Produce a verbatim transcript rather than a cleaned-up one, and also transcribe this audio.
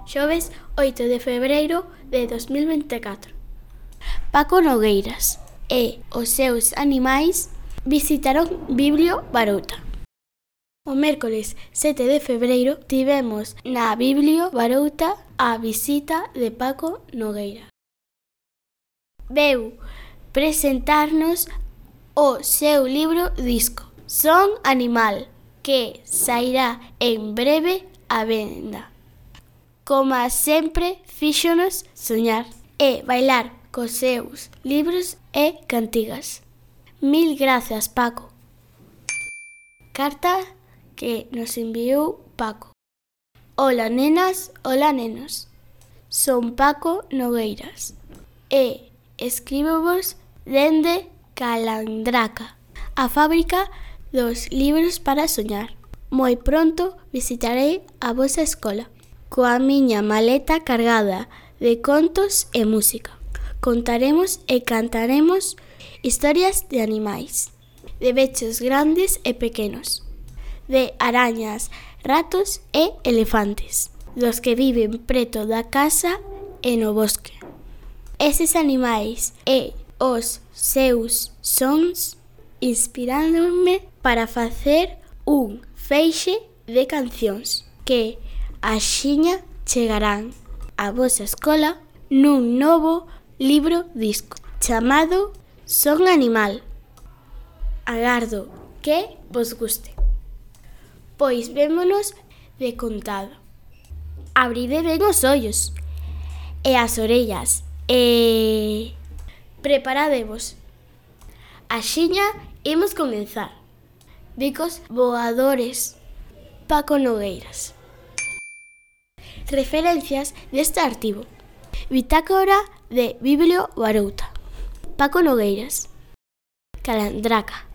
xoves oito de febreiro de dos mil vinte e catro. Paco Nogueiras e os seus animais visitaron Biblio Barouta. O mércoles sete de febreiro tivemos na Biblio Barouta a visita de Paco Nogueira. Veu presentarnos o seu libro disco Son Animal, que sairá en breve á venda. Como sempre, fíxonos soñar e bailar cos seus libros e cantigas. Mil grazas, Paco. Carta que nos enviou Paco. Ola nenas, ola nenos. Son Paco Nogueiras e escríbovos dende Calandraca, a fábrica dos libros para soñar. Moi pronto visitarei a vosa escola coa miña maleta cargada de contos e música. Contaremos e cantaremos historias de animais, de bechos grandes e pequenos, de arañas, ratos e elefantes, dos que viven preto da casa e no bosque. Eses animais e os seus sons inspiráronme para facer un feixe de cancións que axiña chegarán á vosa escola nun novo libro disco chamado Son Animal. Agardo que vos guste. Pois vémonos de contado. Abride ben os ollos e as orellas e preparadevos. Axiña imos comenzar. Bicos voadores. Paco Nogueiras. Referencias deste artigo. Bitácora de Biblio Barouta. Paco Nogueiras. Calandraca.